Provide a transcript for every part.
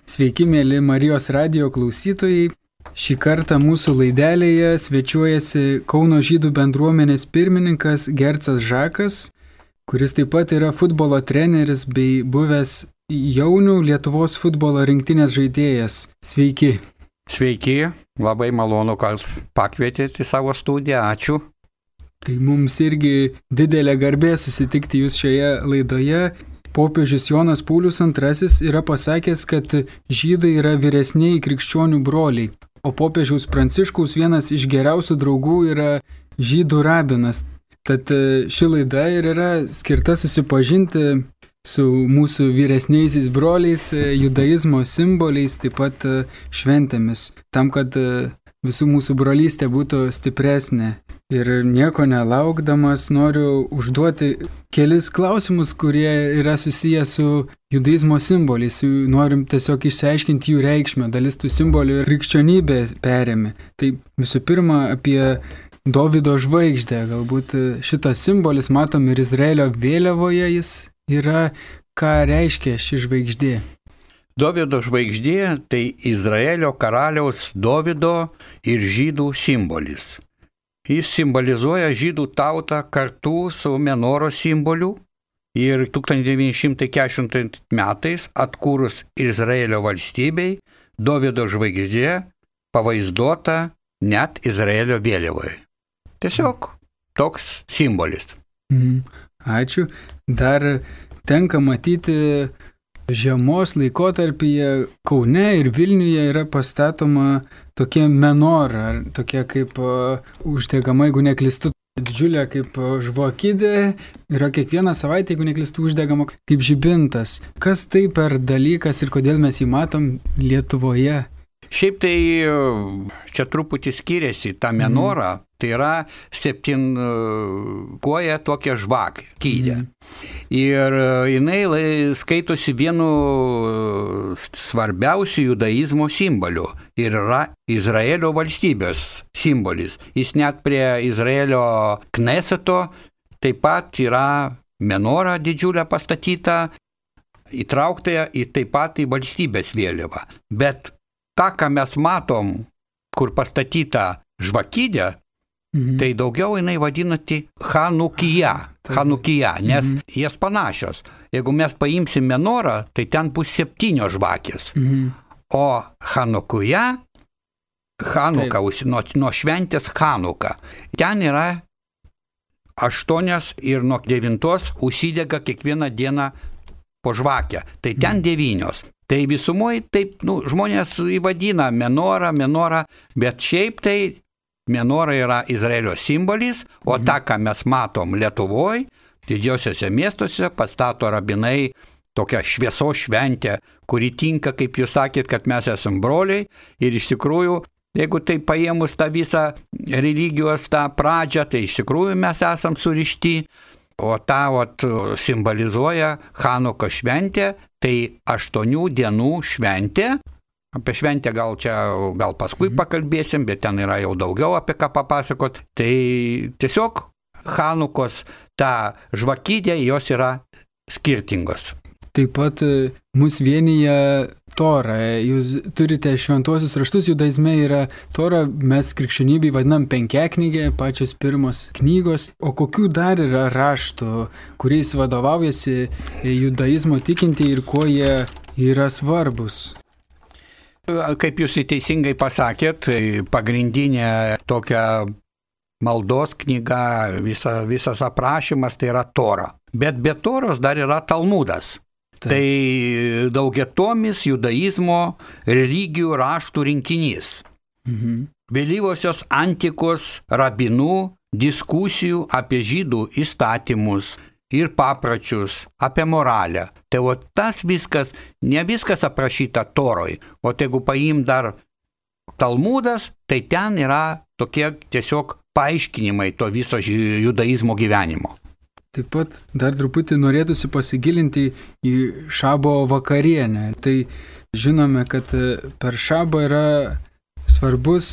Sveiki, mėly Marijos radijo klausytojai. Šį kartą mūsų laidelėje svečiuojasi Kauno žydų bendruomenės pirmininkas Gercas Žakas, kuris taip pat yra futbolo treneris bei buvęs jaunių Lietuvos futbolo rinktinės žaidėjas. Sveiki. Sveiki, labai malonu, kad pakvietėte į savo studiją, ačiū. Tai mums irgi didelė garbė susitikti jūs šioje laidoje. Popiežius Jonas Paulius II yra pasakęs, kad žydai yra vyresniai krikščionių broliai, o popiežiaus Pranciškaus vienas iš geriausių draugų yra žydų rabinas. Tad ši laida ir yra skirta susipažinti su mūsų vyresniaisiais broliais, judaizmo simboliais, taip pat šventėmis, tam, kad visų mūsų brolystė būtų stipresnė. Ir nieko nelaukdamas noriu užduoti kelis klausimus, kurie yra susiję su judaizmo simboliais. Norim tiesiog išsiaiškinti jų reikšmę, dalis tų simbolių ir krikščionybė perėmė. Tai visų pirma apie Dovydo žvaigždę. Galbūt šitas simbolis matom ir Izraelio vėliavoje jis yra, ką reiškia ši žvaigždė. Dovydo žvaigždė tai Izraelio karaliaus Dovydo ir žydų simbolis. Jis simbolizuoja žydų tautą kartu su Menoros simboliu ir 1940 metais atkūrus Izraelio valstybei Dovydo žvaigždė pavaizduota net Izraelio vėliavoje. Tiesiog toks simbolis. Ačiū. Dar tenka matyti žiemos laikotarpyje Kaune ir Vilniuje yra pastatoma tokia menora, tokia kaip uždegama, jeigu neklystu, didžiulė kaip žvakidė, yra kiekvieną savaitę, jeigu neklystu, uždegama kaip žibintas. Kas tai per dalykas ir kodėl mes jį matom Lietuvoje? Šiaip tai čia truputį skiriasi ta menora, tai yra 7 koja tokia žvakidė. Ir jinai skaitosi vienu svarbiausių judaizmo simbolių ir yra Izraelio valstybės simbolis. Jis net prie Izraelio Kneseto taip pat yra menora didžiulė pastatyta, įtraukta į taip pat į valstybės vėliavą. Bet tą, ką mes matom, kur pastatyta žvakidė, tai daugiau jinai vadinasi Chanukija, nes jas panašios. Jeigu mes paimsim menorą, tai ten bus 7 žvakės. O Chanukija, Chanuka, nuo šventės Chanuka, ten yra 8 ir nuo 9 užsidega kiekvieną dieną po žvakę. Tai ten 9. Tai visumoje taip, žmonės įvadina menora, bet šiaip tai menora yra Izraelio simbolis, o tą, ką mes matom Lietuvoje, didžiosiuose miestuose pastato rabinai tokią šviesos šventę, kuri tinka, kaip jūs sakėt, kad mes esam broliai. Ir iš tikrųjų, jeigu tai paėmus tą visą religijos tą pradžią, tai iš tikrųjų mes esam surišti. O tą simbolizuoja Chanuko šventė, tai 8 dienų šventė. Apie šventę gal paskui pakalbėsim, bet ten yra jau daugiau apie ką papasakot. Tai tiesiog Chanukos ta žvakidė, jos yra skirtingos. Taip pat mus vienyje Tora. Jūs turite šventuosius raštus, judaizme yra Tora, mes krikščionybėj vadinam penkiaknygė, pačios pirmos knygos. O kokių dar yra raštų, kuriais vadovaujasi judaizmo tikinti ir kuo jie yra svarbus? Kaip jūs teisingai pasakėt, pagrindinė tokia maldos knyga, visas aprašymas tai yra Tora. Bet be Toros dar yra Talmudas. Tai daugiatomis judaizmo religijų raštų rinkinys. Vėlyvosios antikos rabinų diskusijų apie žydų įstatymus ir papročius, apie moralę. Tai tas viskas, ne viskas aprašyta Toroj, o jeigu paim dar Talmudas, tai ten yra tokie tiesiog paaiškinimai to viso judaizmo gyvenimo. Taip pat dar truputį norėtųsi pasigilinti į šabo vakarienę. Tai žinome, kad per šabą yra svarbus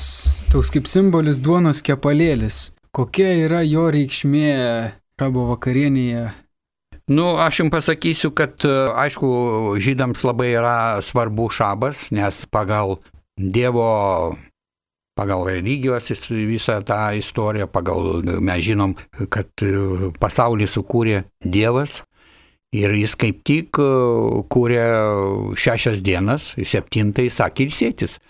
toks kaip simbolis duonos kepalėlis. Kokia yra jo reikšmė šabo vakarienėje? Aš jums pasakysiu, kad aišku, žydams labai yra svarbu šabas, nes pagal religijos visą tą istoriją, mes žinom, kad pasaulį sukūrė Dievas ir jis kaip tik kūrė 6 dienas, 7 sakė ilsėtis.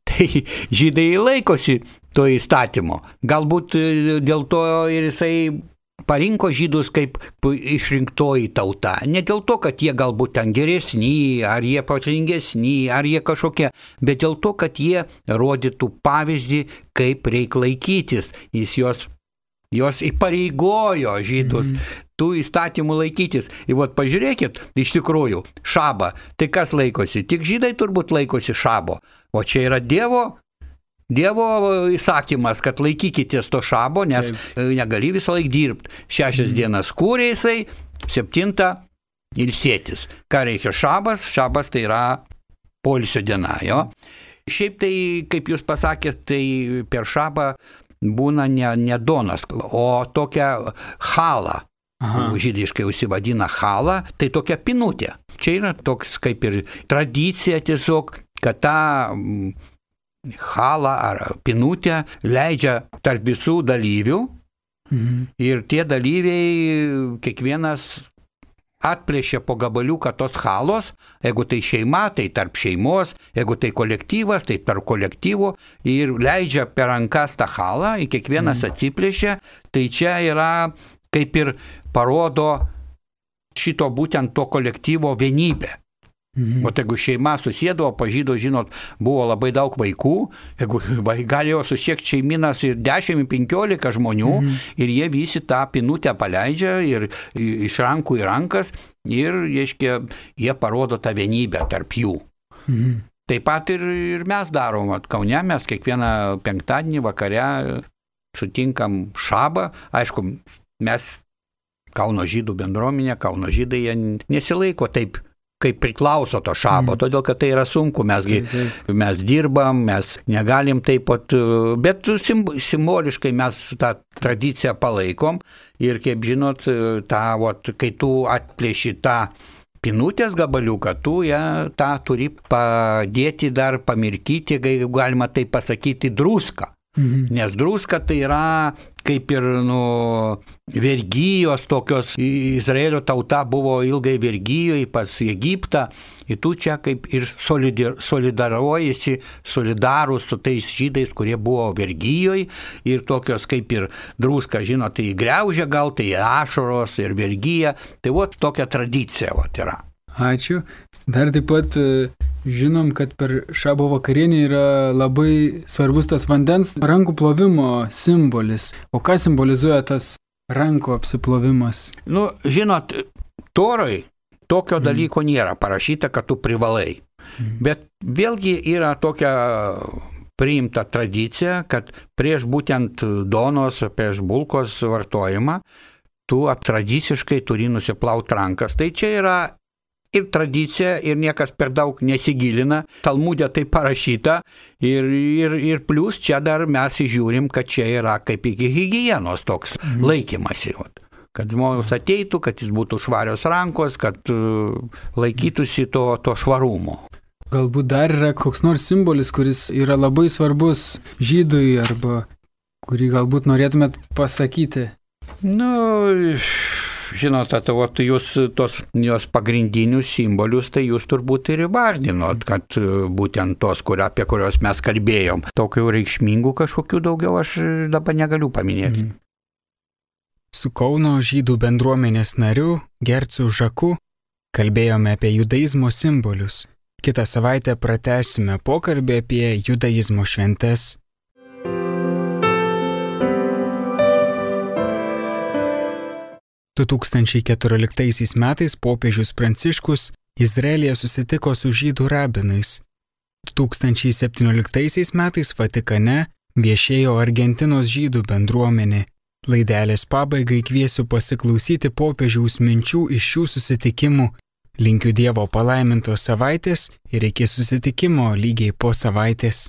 Tai žydai laikosi to įstatymo. Galbūt dėl to ir jisai parinko žydus kaip išrinktoji tauta. Ne dėl to, kad jie galbūt ten geresni, ar jie protingesni, ar jie kažkokie, bet dėl to, kad jie rodytų pavyzdį, kaip reikia laikytis. Jis jos įpareigojo žydus tų įstatymų laikytis. Ir pažiūrėkit, iš tikrųjų, šabą. Tai kas laikosi? Tik žydai turbūt laikosi šabo. O čia yra Dievo įsakymas, kad laikykitės to šabo, nes negali visą laiką dirbti. 6 dienas kūrė jisai, 7 ilsėtis. Ką reikia šabas? Šabas tai yra poilsio diena, jo. Šiaip tai, kaip jūs pasakėt, tai per šabą būna ne donas, o tokia chala. Žydiškai užsivadina chala, tai tokia pinutė. Čia yra toks kaip ir tradicija tiesiog, kad tą chalą ar pinutę leidžia tarp visų dalyvių ir tie dalyviai kiekvienas atplėšia po gabaliuką tos chalos, jeigu tai šeima, tai tarp šeimos, jeigu tai kolektyvas, tai tarp kolektyvų ir leidžia per rankas tą chalą, kiekvienas atsiplėšia, tai čia yra kaip ir parodo šito būtent to kolektyvo vienybę. O jeigu šeima susėdavo, pažydo, žinot, buvo labai daug vaikų, jeigu galėjo susiekti šeiminas ir 10-15 žmonių ir jie visi tą pinutę paleidžia ir iš rankų į rankas ir, reiškia, jie parodo tą vienybę tarp jų. Taip pat ir mes darom, Kaune mes kiekvieną penktadienį vakare sutinkam šabą, aišku, mes Kauno žydų bendruomenė, Kauno žydai jie nesilaiko taip, kaip priklauso to šabo, todėl kad tai yra sunku, mes dirbam, mes negalim taip pat, bet simboliškai mes tą tradiciją palaikom ir kaip žinot, kai tu atplėši tą pinutės gabaliuką, tu tą turi padėti dar pamirkyti, galima taip pasakyti, druską. Nes druska tai yra kaip ir vergijos tokios, Izraelio tauta buvo ilgai vergijoje pas Egiptą ir tu čia kaip ir solidarus su tais žydais, kurie buvo vergijoje ir tokios kaip ir druska, žinot, tai griaužia gal, tai ašaros ir vergija, tai tokia tradicija yra. Ačiū. Dar taip pat žinom, kad per šabo vakarienį yra labai svarbus tas vandens rankų plovimo simbolis. O ką simbolizuoja tas rankų apsiplovimas? Žinot, Toroj tokio dalyko nėra parašyta, kad tu privalai. Bet vėlgi yra tokia priimta tradicija, kad prieš būtent donos, prieš bulkos vartojimą, tu tradiciškai turi nusiplauti rankas. Tai čia yra ir tradicija, ir niekas per daug nesigilina. Talmude tai parašyta ir plus čia dar mes įžiūrim, kad čia yra kaip iki higienos toks laikymasi. Kad žmogus ateitų, kad jis būtų švarios rankos, kad laikytųsi to švarumo. Galbūt dar yra koks nors simbolis, kuris yra labai svarbus žydui arba kurį galbūt norėtumėt pasakyti? Žinot, jūs jos pagrindinius simbolius, tai jūs turbūt ir įvardinot, kad būtent tos, apie kurios mes kalbėjom. Tokių reikšmingų kažkokių daugiau aš dabar negaliu paminėti. Su Kauno žydų bendruomenės nariu Gercu Žaku kalbėjome apie judaizmo simbolius. Kitą savaitę pratęsime pokalbį apie judaizmo šventes. 2014 metais popiežius Pranciškus Izraelyje susitiko su žydų rabinais. 2017 metais Vatikane viešėjo Argentinos žydų bendruomenė. Laidelės pabaigai kviesiu pasiklausyti popiežiaus minčių iš šių susitikimų. Linkiu Dievo palaimintos savaitės ir iki susitikimo lygiai po savaitės.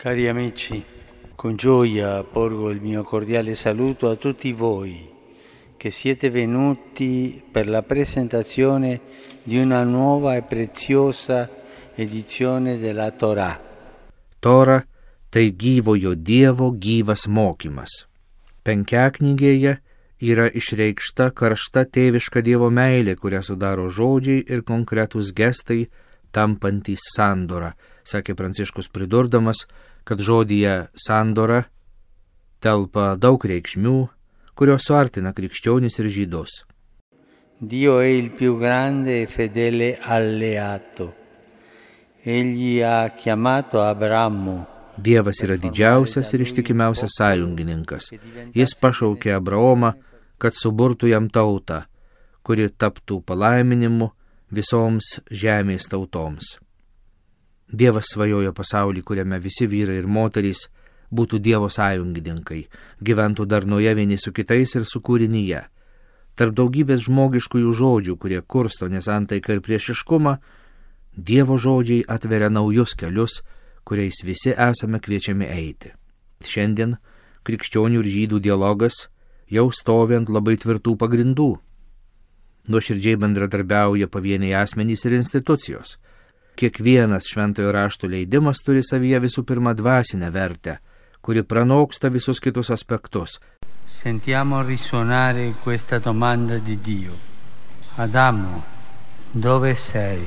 Cari amici, con gioia porgo il mio cordiale saluto a tutti voi che siete venuti per la presentazione di una nuova e preziosa edizione della Torah. Tora tai gyvojo Dievo gyvas mokymas. Penkiaknygėje yra išreikšta karšta tėviška Dievo meilė, kurią sudaro žodžiai ir konkretūs gestai, tampantys sandora, sakė Pranciškus pridurdamas, kad žodyje sandora telpa daug reikšmių, kurios suartina krikščionis ir žydus. Dio è il più grande e fedele alleato. Egli ha chiamato Abramu. Dievas yra didžiausias ir ištikimiausias sąjungininkas. Jis pašaukė Abraomą, kad suburtų jam tautą, kuri taptų palaiminimu visoms žemės tautoms. Dievas svajojo pasaulį, kuriame visi vyrai ir moterys būtų Dievo sąjungininkai, gyventų darnoje vieni su kitais ir su kūrinyje. Tarp daugybės žmogiškųjų žodžių, kurie kursto nesantaiką ir priešiškumą, Dievo žodžiai atveria naujus kelius, kuriais visi esame kviečiami eiti. Šiandien krikščionių ir žydų dialogas jau stovi ant labai tvirtų pagrindų. Nuoširdžiai bendradarbiauja pavieniai asmenys ir institucijos. Kiekvienas šventojo rašto leidimas turi savyje visų pirma dvasinę vertę, kuri pranoksta visus kitus aspektus. Sentiamo risuonare questa domanda di Dio. Adamo, dove sei?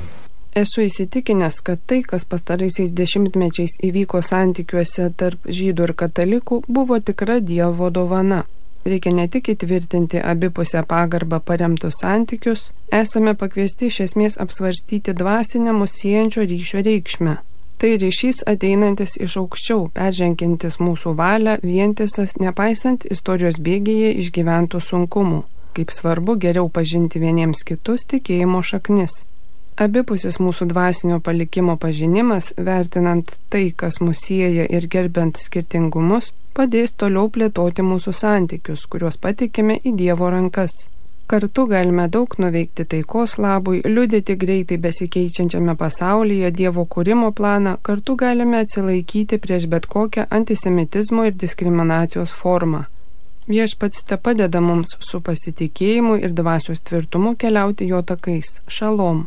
Esu įsitikinęs, kad tai, kas pastaraisiais dešimtmečiais įvyko santykiuose tarp žydų ir katalikų, buvo tikra Dievo dovana. Reikia ne tik įtvirtinti abipusę pagarbą paremtus santykius, esame pakviesti iš esmės apsvarstyti dvasinę mus siejančio ryšio reikšmę. Tai ryšys ateinantis iš aukščiau, peržengiantis mūsų valią, vientisas, nepaisant istorijos bėgyje išgyventų sunkumų. Kaip svarbu geriau pažinti vieniems kitus tikėjimo šaknis. Abipusis mūsų dvasinio palikimo pažinimas, vertinant tai, kas mus sieja ir gerbiant skirtingumus, padės toliau plėtoti mūsų santykius, kuriuos patikime į Dievo rankas. Kartu galime daug nuveikti taikos labui, liudyti greitai besikeičiančiame pasaulyje Dievo kūrimo planą, kartu galime atsilaikyti prieš bet kokią antisemitizmo ir diskriminacijos formą. Viešpats tepadeda mums su pasitikėjimu ir dvasios tvirtumu keliauti jo takais. Šalom.